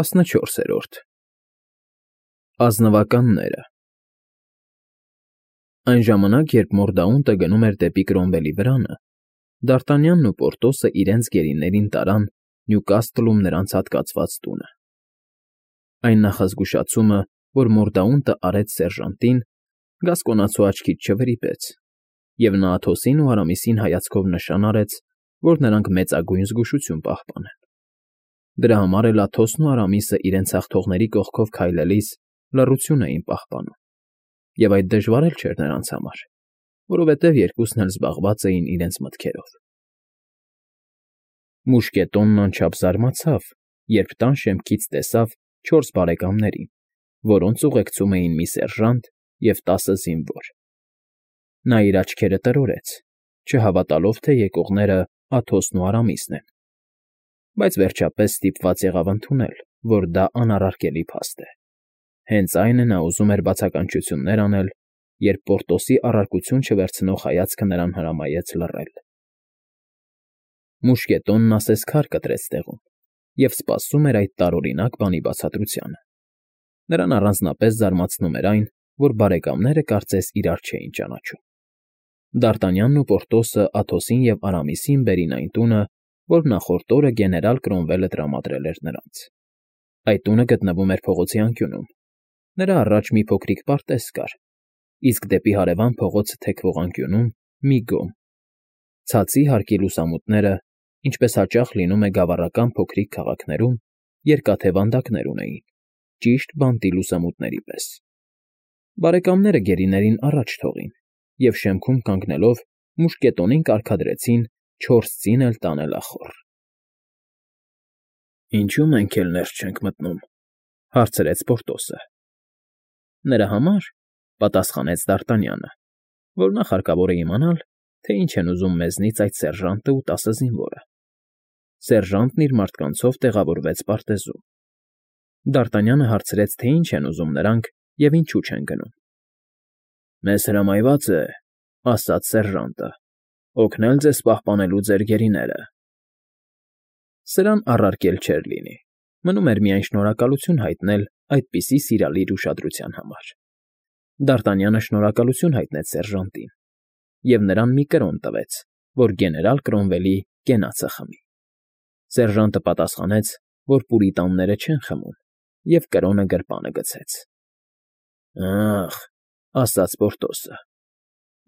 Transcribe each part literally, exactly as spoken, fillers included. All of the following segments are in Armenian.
ՏԱՍՆՉՈՐՍԵՐՈՐԴ ԱԶՆՎԱԿԱՆՆԵՐԸ Այն ժամանակ, երբ Մորդաունտը գնում էր դեպի Կրոմվելի վրանը, Դ'Արտանյանն ու Պորտոսը իրենց գերիներին տարան Նյուկաստլում նրանց հատկացված տունը. այն նախազգուշացումը, որ Մորդաունտը արեց սերժանտին, Գասկոնացու աչքից չվրիպեց, և նա Աթոսին ու Արամիսին հայացքով նշան արեց, որ նրանք մեծագույն զգուշություն պահպանեն. դրա համար էլ Աթոսն ու Արամիսը իրենց հաղթողների կողքով քայլելիս լռություն էին պահպանում, և այդ դժվար էլ չէր նրանց համար, որովհետև երկուսն էլ զբաղված էին իրենց մտքերով։ Մուշկետոնն անչափ զարմացավ, երբ տան շեմքից տեսավ չորս բարեկամներին, որոնց ուղեկցում էին մի սերժանտ և տասը զինվոր։ Նա իր աչքերը տրորեց, չհավատալով, թե եկողները Աթոսն ու Արամիսն են, բայց վերջապես ստիպված եղավ ընդունել, որ դա անառարկելի փաստ է։ Հենց այն է նա ուզում էր բացականչություններ անել, երբ Պորտոսի առարկություն չվերցնող հայացքը նրան հրամայեց լռել։ Մուշկետոնն ասես քար կտրեց տեղում և սպասում էր այդ տարօրինակ բանի բացատրությանը։ Նրան առանձնապես զարմացնում էր այն, որ բարեկամները կարծես իրար չէին ճանաչում։ Դ'Արտանյանն ու Պորտոսը Աթոսին և Արամիսին բերին այն տունը, որ նախորդ օրը գեներալ Կրոմվելը տրամադրել էր նրանց։ Այդ տունը գտնվում էր փողոցի անկյունում։ Նրա առաջ մի փոքրիկ պարտեզ կար, իսկ դեպի հարևան փողոցը թեքվող անկյունում՝ մի գոմ։ Ցածի հարկի լուսամուտները, ինչպես հաճախ լինում է գավառական փոքրիկ քաղաքներում, երկաթե վանդակներ ունեին, ճիշտ բանտի լուսամուտների պես։ Բարեկամները գերիներին առաջ թողին և շեմքում կանգնելով մուշկետոնին կարգադրեցին չորս ձին էլ տանելախոռ։ ֊ Ինչո՞ւ մենք էլ ներս չենք մտնում,֊ հարցրեց Պորտոսը։ ֊ Նրա համար,֊ պատասխանեց Դ'Արտանյանը,֊ որ նախ հարկավոր է իմանալ, թե ինչ են ուզում մեզնից այդ սերժանտն ու տասը զինվորը։ Սերժանտն իր մարդկանցով տեղավորվեց պարտեզում։ Դ'Արտանյանը հարցրեց, թե ինչ են ուզում նրանք և ինչու չեն գնում։ ֊ Մեզ հրամայված է,֊ ասաց սերժանտը,֊ օգնել ձեզ պահպանելու ձեր գերիները։ Սրան առարկել չէր լինի, մնում էր միայն շնորհակալություն հայտնել այդպիսի սիրալիր ուշադրության համար։ Դ'Արտանյանը շնորհակալություն հայտնեց սերժանտին և նրան մի կրոն տվեց, որ գեներալ Կրոմվելի կենացը խմի։ Սերժանտը պատասխանեց, որ պուրիտանները չեն խմում, և կրոնը գրպանը գցեց։ ֊ Ա՜խ,֊ ասաց Պորտոսը,֊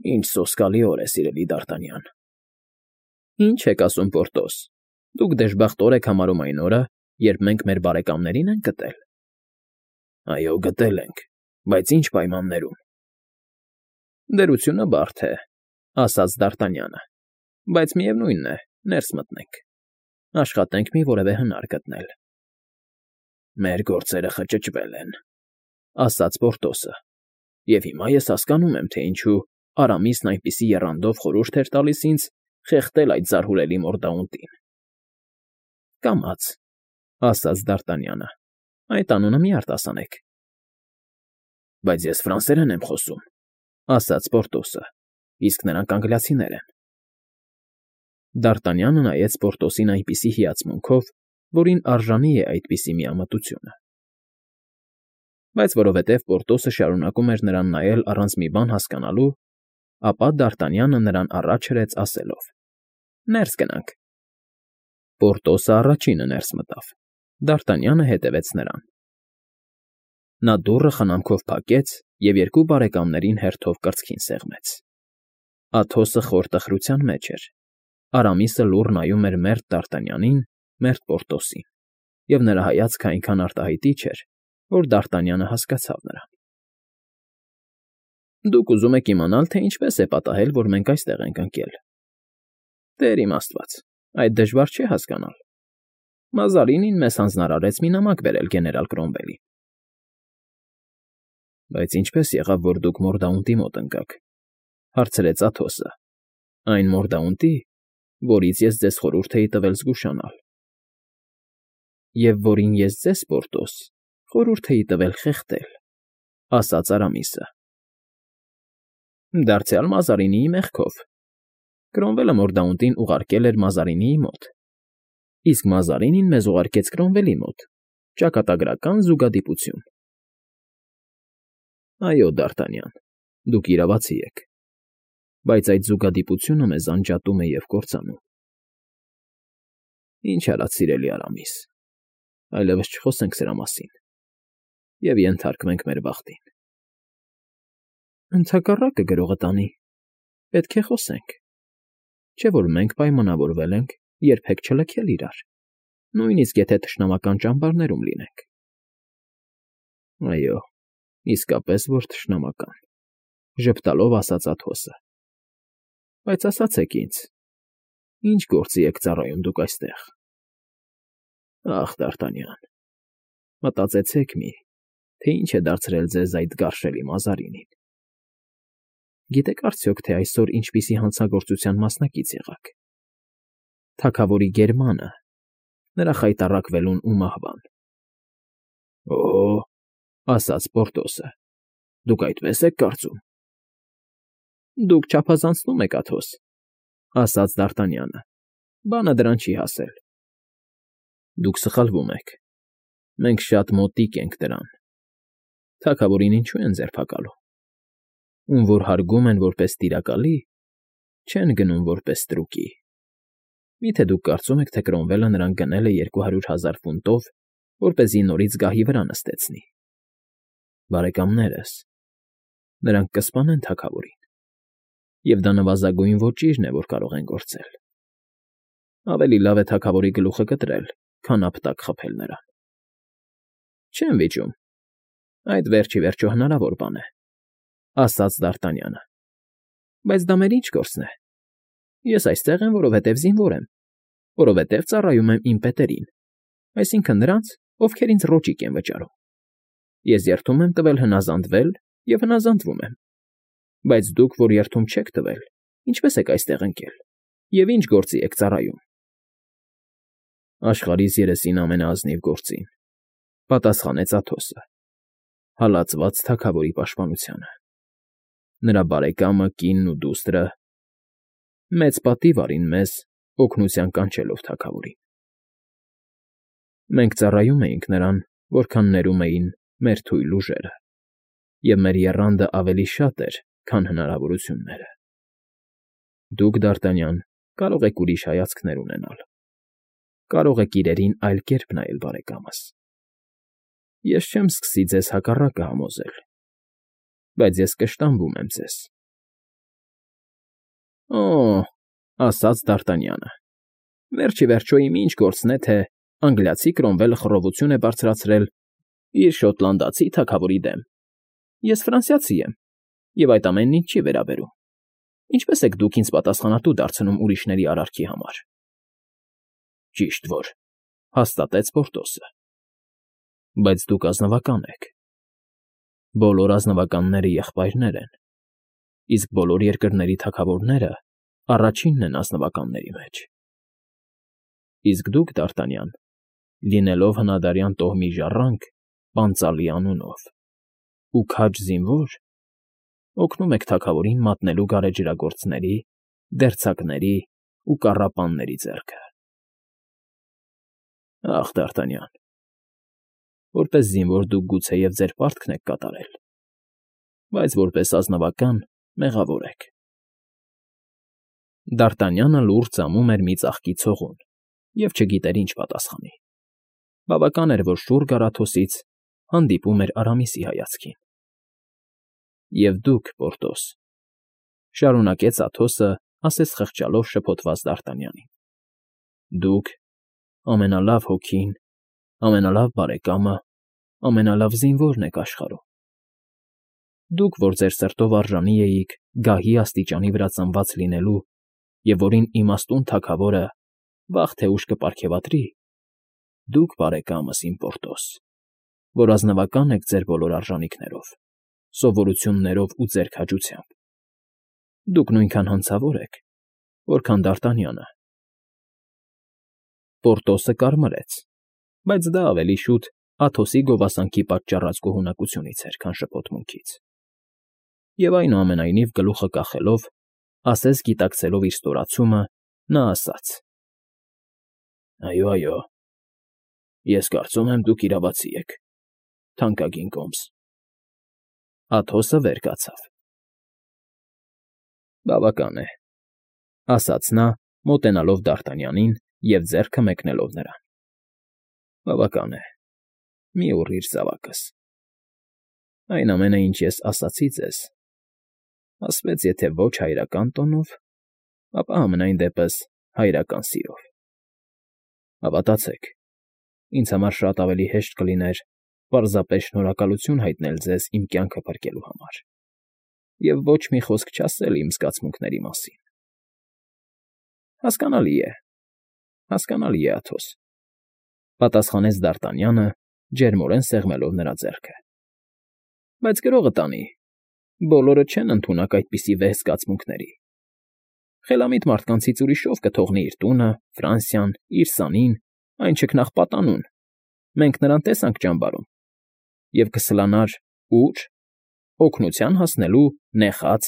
ինչ սոսկալի օր է, սիրելի Դ'Արտանյան։ ֊ Ինչ եք ասում, Պորտոս, դուք դժբախտ օր եք համարում այն օրը, երբ մենք մեր բարեկամների՞ն ենք գտել։ ֊ Այո, գտել ենք, բայց ինչ պայմաններում։ ֊ Դրությունը բարդ է,֊ ասաց Դ'Արտանյանը,֊ բայց միևնույն է, ներս մտնենք, աշխատենք մի որևէ հնար գտնել։ ֊ Մեր գործերը խճճվել են,֊ ասաց Պորտոսը,֊ և հիմա ես հասկանում եմ, թե ինչու Արամիսն այնպիսի եռանդով խորհուրդ էր տալիս ինձ խեղդել այդ զարհուրելի Մորդաունտին։ ֊ Կամաց,֊ ասաց Դ'Արտանյանը,֊ այդ անունը մի արտասանեք։ ֊ Բայց ես ֆրանսերեն եմ խոսում,֊ ասաց Պորտոսը,֊ իսկ նրանք անգլիացիներ են։ Դ'Արտանյանը նայեց Պորտոսին այնպիսի հիացմունքով, որին արժանի է այդպիսի միամտությունը։ Բայց որովհետև Պորտոսը շարունակում էր նրան նայել առանց մի բան հասկանալու, ապա Դ'Արտանյանը նրան առաջ հրեց ասելով. «Ներս գնանք»։ Պորտոսը առաջինը ներս մտավ, Դ'Արտանյանը հետևեց նրան։ Նա դուռը խնամքով փակեց և երկու բարեկամներին հերթով կրծքին սեղմեց։ Աթոսը խոր տխրության մեջ էր, Արամիսը լուռ նայում էր մերթ Դ'Արտանյանին, մերթ Պորտոսին, և նրա հայացքը այնքան արտահայտիչ էր, որ Դ'Արտանյանը հասկացավ նրան։ ֊ Դուք ուզում եք իմանալ, թե ինչպես է պատահել, որ մենք այստեղ ենք ընկել։ Տեր իմ աստված, այդ դժվար չէ հասկանալ։ Մազարինին մեզ հանձնարարեց մի նամակ բերել գեներալ Կրոմվելին։ ֊ Բայց ինչպե՞ս եղավ, որ դուք Մորդաունտի մոտ ընկաք,֊ հարցրեց Աթոսը,֊ այն Մորդաունտի, որից ես ձեզ խորհուրդ էի տվել զգուշանալ։ ֊ Եվ որին ես ձեզ, Պորտոս, խորհուրդ էի տվել խեղդել,֊ ասաց Արամիսը։ ֊ Դարձյալ Մազարինիի մեղքով։ Կրոմվելը Մորդաունտին ուղարկել էր Մազարինիի մոտ, իսկ Մազարինին մեզ ուղարկեց Կրոմվելի մոտ, Ճակատագրական զուգադիպություն։ Այո, Դ'Արտանյան, դուք իրավացի եք, բայց այդ զուգադիպությունը մեզ անջատում է և կործանում։ Ինչ արած, սիրելի Արամիս, այլևս չխոսենք սրա մասին և ենթարկվենք մեր բախտին։ Ընդհակառակը գրողը տանի, պետք է խոսենք, չէ՞ որ մենք պայմանավորվել ենք երբեք չլքել իրար, նույնիսկ եթե թշնամական ճամբարներում լինենք։ Այո, իսկապես որ թշնամական, ժպտալով ասաց Աթոսը։ Բայց ասացեք ինձ, ինչ գործի եք ծառայում դուք այստեղ։ Ախ, Դ'Արտանյան, մտածեցեք մի, թե ինչ է դարձրել ձեզ այդ գարշելի Մազարինին։ Գիտեք արդյոք, թե այսօր ինչպիսի հանցագործության մասնակից եղաք։ Թագավորի գերմանը, նրա խայտառակվելուն ու մահվան։ Օ՜, ասաց Պորտոսը, դուք այդպես եք կարծում։ Դուք չափազանցնում եք, Աթոս, ասաց Դ'Արտանյանը, բանը դրան չի հասել։ Դուք սխալվում եք, մենք շատ մոտիկ ենք դրան։ Թագավորին ինչու են ձերբակալում։ Ում որ հարգում են որպես տիրակալի, չեն գնում որպես ստրուկի։ Միթե դուք կարծում եք, թե Կրոմվելը նրան գնել է երկու հարյուր հազար ֆունտով, որպեսզի նորից գահի վրա նստեցնի։ Բարեկամներս, նրանք կսպանեն թագավորին, և դա նվազագույն ոճիրն է, որ կարող են գործել։ Ավելի լավ է թագավորի գլուխը կտրել, քան ապտակ խփել նրան։ Չեմ վիճում, այդ վերջ ի վերջո հնարավոր բան է, ասաց Դ'Արտանյանը։ Բայց դա մեր ինչ գործն է։ Ես այստեղ եմ, որովհետև զինվոր եմ, որովհետև ծառայում եմ իմ պետերին, այսինքն նրանց, ովքեր ինձ ռոճիկ են վճարում։ Ես երդում եմ տվել հնազանդվել և հնազանդվում եմ։ Բայց դուք, որ երդում չեք տվել, ինչպես եք այստեղ ընկել, և ինչ գործի եք ծառայում։ Աշխարհիս երեսին ամենաազնիվ գործին, պատասխանեց Աթոսը, հալածված թագավորի պաշտպանությանը։ Նրա բարեկամը, կինն ու դուստրը մեծ պատիվ արին մեզ, օգնության կանչելով թագավորին։ Մենք ծառայում էինք նրան, որքան ներում էին մեր թույլ ուժերը, և մեր եռանդը ավելի շատ էր, քան հնարավորությունները։ Դուք, Դ'Արտանյան, կարող եք ուրիշ հայացքներ ունենալ, կարող եք իրերին այլ կերպ նայել, բարեկամս։ Ես չեմ սկսի ձեզ հակառակը համոզել, բայց ես կշտամբում եմ ձեզ։ Օ՜, ասաց Դ'Արտանյանը, վերջ ի վերջո իմ ինչ գործն է, թե անգլիացի Կրոմվելը խռովություն է բարձրացրել իր շոտլանդացի թագավորի դեմ։ Ես ֆրանսիացի եմ, և այդ ամենն ինձ չի վերաբերում։ Ինչպես եք դուք ինձ պատասխանատու դարձնում ուրիշների արարքի համար։ Ճիշտ որ, հաստատեց Պորտոսը։ Բայց դուք ազնվական եք։ Բոլոր ազնվականները եղբայրներ են, իսկ բոլոր երկրների թագավորները առաջինն են ազնվականների մեջ։ Իսկ դուք, Դ'Արտանյան, լինելով հնադարյան տոհմի ժառանգ, պանծալի անունով ու քաջ զինվոր, օգնում եք թագավորին մատնելու գարեջրագործների, դերձակների ու կառապանների ձեռքը։ Ախ, Դ'Արտանյան, որպես զինվոր դուք գուցեև ձեր պարտքն եք կատարել, բայց որպես ազնվական մեղավոր եք։ Դ'Արտանյանը լուռ ծամում էր մի ծաղկի ցողուն և չգիտեր ինչ պատասխանի։ Բավական էր, որ շուռ գար Աթոսից, հանդիպում էր Արամիսի հայացքին։ Եվ դուք, Պորտոս, շարունակեց Աթոսը, ասես խղճալով շփոթված Դ'Արտանյանին, դուք ամենալավ հոգին, ամենալավ բարեկամը, ամենալավ զինվորն եք աշխարհում։ Դուք, որ ձեր սրտով արժանի էիք գահի աստիճանի վրա ծնված լինելու և որին իմաստուն թագավորը վաղ թե ուշ կպարգևատրի, դուք, բարեկամս իմ Պորտոս, որ ազնվական եք ձեր բոլոր արժանիքներով, սովորություններով ու ձեր քաջությամբ, դուք նույնքան հանցավոր եք, որքան Դ'Արտանյանը։ Պորտոսը կարմրեց, բայց դա ավելի շուտ Աթոսի գովասանքի պատճառած գոհունակությունից էր, քան շփոթմունքից։ Եվ այնուամենայնիվ գլուխը կախելով, ասես գիտակցելով իր ստորացումը, նա ասաց. Այո, այո, Ես կարծում եմ, դուք իրավացի եք, թանկագին Կոմս… Աթոսը վեր կացավ։ Բավական է, ասաց նա, մոտենալով Դ'Արտանյանին և ձեռքը մեկնելով նրան. Բավական է, մի ուռիր զավակս… Այն ամենը, ինչ ես ասացի ձեզ, ասվեց եթե ոչ հայրական տոնով, ապա համենայն դեպս հայրական սիրով… Հավատացեք, ինձ համար շատ ավելի հեշտ կլիներ պարզապես շնորհակալություն հայտնել ձեզ իմ կյանքը փրկելու համար և ոչ մի խոսք չասել իմ զգացմունքների մասին… Հասկանալի է, հասկանալի է, Աթոս, պատասխանեց Դ'Արտանյանը, ջերմորեն սեղմելով նրա ձեռքը, բայց գրողը տանի, բոլորը չեն ընդունակ այդպիսի վեհ զգացմունքների… Խելամիտ մարդկանցից ուրիշով կթողնի իր տունը, Ֆրանսիան, իր սանին, այն չքնաղ պատանուն, մենք նրան տեսանք ճամբարում, և կսլանար ու՞ր… օգնության հասնելու նեխած,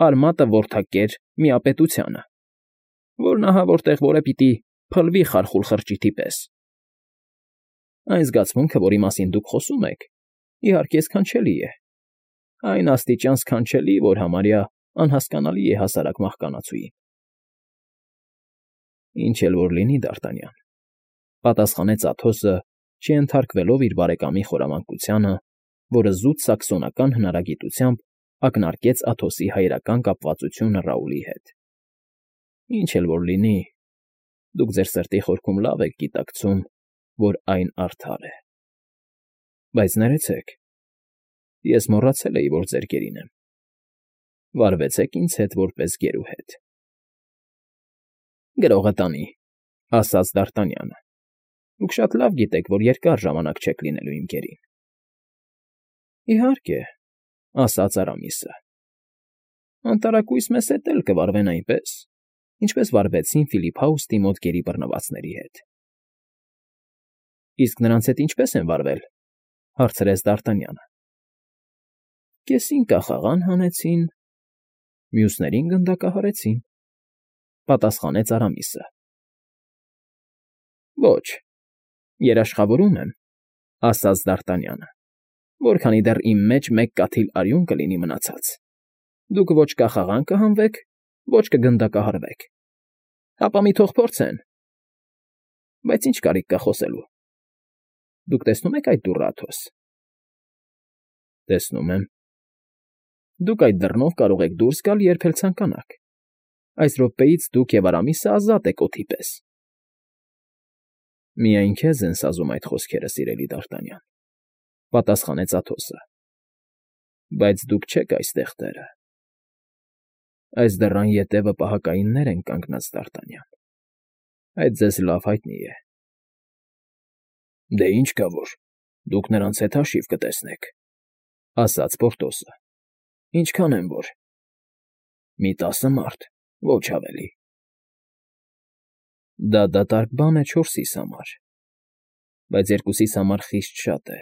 արմատը որդակեր միապետությանը, որն ահա որտեղ որ է պիտի փլվի խարխուլ խրճիթի պես… Այն զգացմունքը, որի մասին դուք խոսում եք, իհարկե, սքանչելի է, այն աստիճան սքանչելի, որ համարյա անհասկանալի է հասարակ մահկանացուին… Ինչ էլ որ լինի, Դ'Արտանյան, պատասխանեց Աթոսը, չենթարկվելով իր բարեկամի խորամանկությանը, որը զուտ սաքսոնական հնարագիտությամբ ակնարկեց Աթոսի հայրական կապվածությունը Ռաուլի հետ… Ինչ էլ որ լինի, դուք ձեր սրտի խորքում լավ եք գիտակցում, որ այն արդար է… Բայց ներեցեք, ես մոռացել էի, որ ձեր գերին եմ… Վարվեցեք ինձ հետ որպես գերուհետ… Գրողը տանի, ասաց Դ'Արտանյանը, դուք շատ լավ գիտեք, որ երկար ժամանակ չեք լինելու իմ գերին… Իհարկե, ասաց Արամիսը, անտարակույս մեզ հետ էլ կվարվեն այնպես, ինչպես վարվեցին Ֆիլիփ Հաուստի մոտ գերի բռնվածների հետ… Իսկ նրանց հետ ինչպե՞ս են վարվել, հարցրեց Դ'Արտանյանը… Կեսին կախաղան հանեցին, մյուսներին գնդակահարեցին, պատասխանեց Արամիսը… Ոչ, երաշխավորում եմ, ասաց Դ'Արտանյանը, որքանի դեռ իմ մեջ մեկ կաթիլ արյուն կլինի մնացած, դուք ոչ կախաղան կհանվեք, ոչ կգնդակահարվեք… Հապա մի թող փորձեն… Բայց ինչ կարիք կա խոսելու… Դուք տեսնո՞ւմ եք այդ դուռը, Աթոս… Տեսնում եմ… Դուք այդ դռնով կարող եք դուրս գալ, երբ էլ ցանկանաք… Այս րոպեից դուք և Արամիսը ազատ եք օդի պես… Միայն քեզ են սազում այդ խոսքերը, սիրելի Դ'Արտանյան, պատասխանեց Աթոսը… Բայց դուք չեք այստեղ տերը… Այս դռան ետևը պահակայիններ են կանգնած, Դ'Արտանյան… Այդ ձեզ լավ հայտնի է… Դե ինչ կա որ, դուք նրանց հետ հաշիվ կտեսնեք, ասաց Պորտոսը… Ինչքան են որ… Մի տասը մարդ, ոչ ավելի… Դա դատարկ բան է չորսիս համար, բայց երկուսիս համար խիստ շատ է…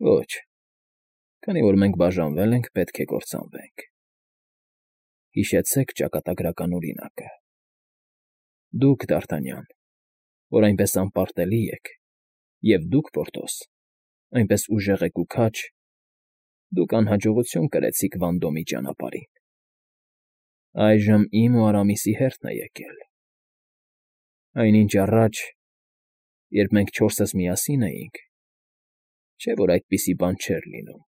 Ոչ, քանի որ մենք բաժանվել ենք, պետք է կործանվենք… Հիշեցեք ճակատագրական օրինակը… Դուք, Դ'Արտանյան, որ այնպես անպարտելի եք, և դուք, Պորտոս, այնպես ուժեղ եք ու քաջ, դուք անհաջողություն կրեցիք Վանդոմի ճանապարհին… Այժմ իմ ու Արամիսի հերթն է եկել… Այնինչ առաջ, երբ մենք չորսս միասին էինք, չէ՞ որ այդպիսի բան չէր լինում…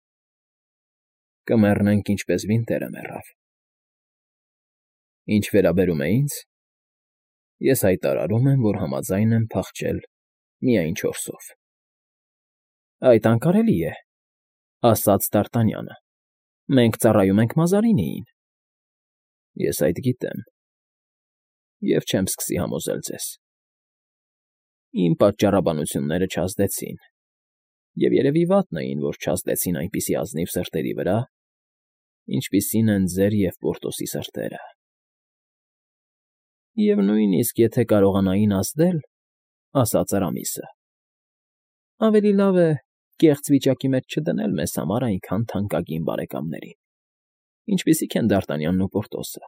Կմեռնենք, ինչպես Վինտերը մեռավ… Ինչ վերաբերում է ինձ, ես հայտարարում եմ, որ համաձայն եմ փախչել միայն չորսով… Այդ անկարելի է, ասաց Դ'Արտանյանը, մենք ծառայում ենք Մազարինիին… Ես այդ գիտեմ և չեմ սկսի համոզել ձեզ… Իմ պատճառաբանությունները չազդեցին և երևի վատն էին, որ չազդեցին այնպիսի ազնիվ սրտերի վրա, ինչպիսին են ձեր և Պորտոսի սրտերը… Եվ նույնիսկ եթե կարողանային ազդել, ասաց Արամիսը, ավելի լավ է կեղծ վիճակի մեջ չդնել մեզ համար այնքան թանկագին բարեկամներին, ինչպիսիք են Դ'Արտանյանն ու Պորտոսը…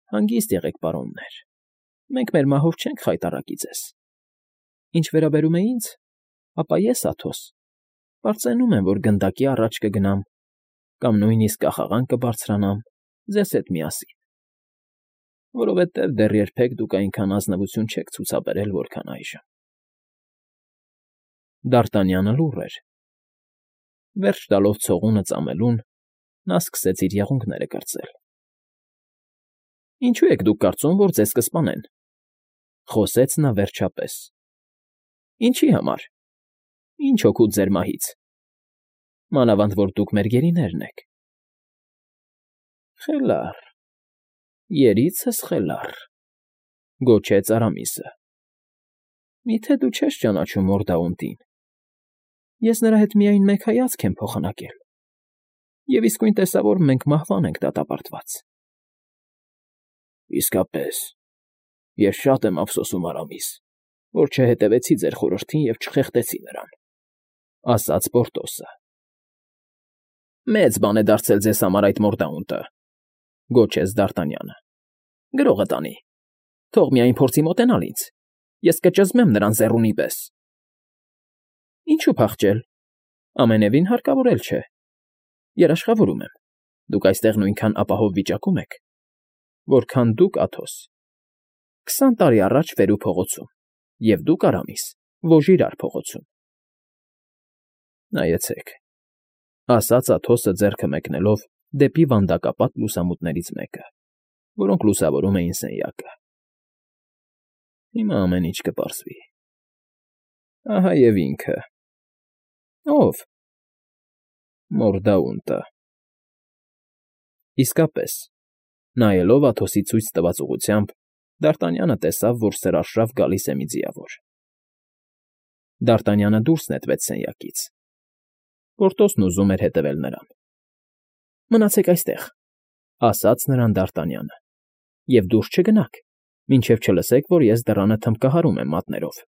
Հանգիստ եղեք, պարոններ, մենք մեր մահով չենք խայտառակի ձեզ… Ինչ վերաբերում է ինձ, ապա ես, Աթոս, պարծենում եմ, որ գնդակի առաջ կգնամ կամ նույնիսկ կախաղան կբարձրանամ ձեզ հետ միասին, որովհետև դեռ երբեք դուք այնքան ազնվություն չեք ցուցաբերել, որքան այժմ… Դ'Արտանյանը լուռ էր. վերջ տալով ցողունը ծամելուն, նա սկսեց իր եղունգները կրծել։ ֊ Ինչո՞ւ եք դուք կարծում, որ ձեզ կսպանեն,֊ խոսեց նա վերջապես։ ֊ Ինչի՞ համար, ի՞նչ օգուտ ձեր մահից, մանավանդ որ դուք մեր գերիներն եք։ ֊ Խելառ, երիցս խելառ,֊ գոչեց Արամիսը։ ֊ Միթե դու չես ճանաչում Մորդաունտին… Ես նրա հետ միայն մեկ հայացք եմ փոխանակել, և իսկույն տեսա, որ մենք մահվան ենք դատապարտված։ ֊ Իսկապես, ես շատ եմ ափսոսում, Արամիս, որ չհետևեցի ձեր խորհրդին և չխեղդեցի նրան,֊ ասաց Պորտոսը։ ֊ Մեծ բան է դարձել ձեզ համար այդ Մորդաունտը,֊ գոչեց Դ'Արտանյանը։ ֊ Գրողը տանի, թող միայն փորձի մոտենալ ինձ, ես կճզմեմ նրան զեռունի պես։ ֊ Ինչո՞ւ փախչել, ամենևին հարկավոր էլ չէ, երաշխավորում եմ, դուք այստեղ նույնքան ապահով վիճակում եք, որքան դուք, Աթոս, քսան տարի առաջ Վերու փողոցում, և դուք, Արամիս, Ոժիրար փողոցում։ ֊ Նայեցեք,֊ ասաց Աթոսը ձեռքը մեկնելով դեպի վանդակապատ լուսամուտներից մեկը, որոնք լուսավորում էին սենյակը։ Հիմա ամեն ինչ կպարզվի… Ահա և ինքը։ ֊ Ո՞վ։ ֊ Մորդաունտը։ Իսկապես, նայելով Աթոսի ցույց տված ուղղությամբ, Դ'Արտանյանը տեսավ, որ սրարշավ գալիս է մի ձիավոր։ Դ'Արտանյանը դուրս նետվեց սենյակից. Պորտոսն ուզում էր հետևել նրան։ ֊ Մնացեք այստեղ,֊ ասաց նրան Դ'Արտանյանը,֊ և դուրս չգնաք, մինչև չլսեք, որ ես դռանը թմբկահարում եմ մատներով։